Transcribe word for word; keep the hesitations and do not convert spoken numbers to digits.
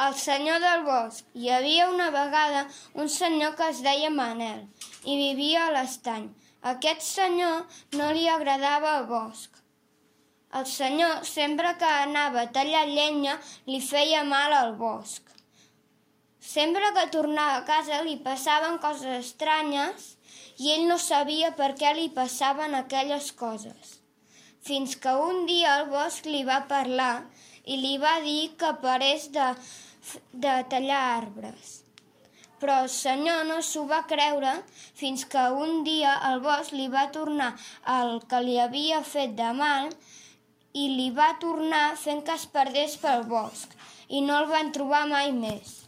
El senyor del bosc. Hi havia una vegada un senyor que es deia Manel i vivia a l'estany. A aquest senyor no li agradava el bosc. El senyor, sempre que anava a tallar llenya, li feia mal al bosc. Sempre que tornava a casa li passaven coses estranyes i ell no sabia per què li passaven aquelles coses. Fins que un dia el bosc li va parlar i li va dir que parés de, de tallar arbres. Però el senyor no s'ho va creure fins que un dia el bosc li va tornar el que li havia fet de mal i li va tornar fent que es perdés pel bosc i no el van trobar mai més.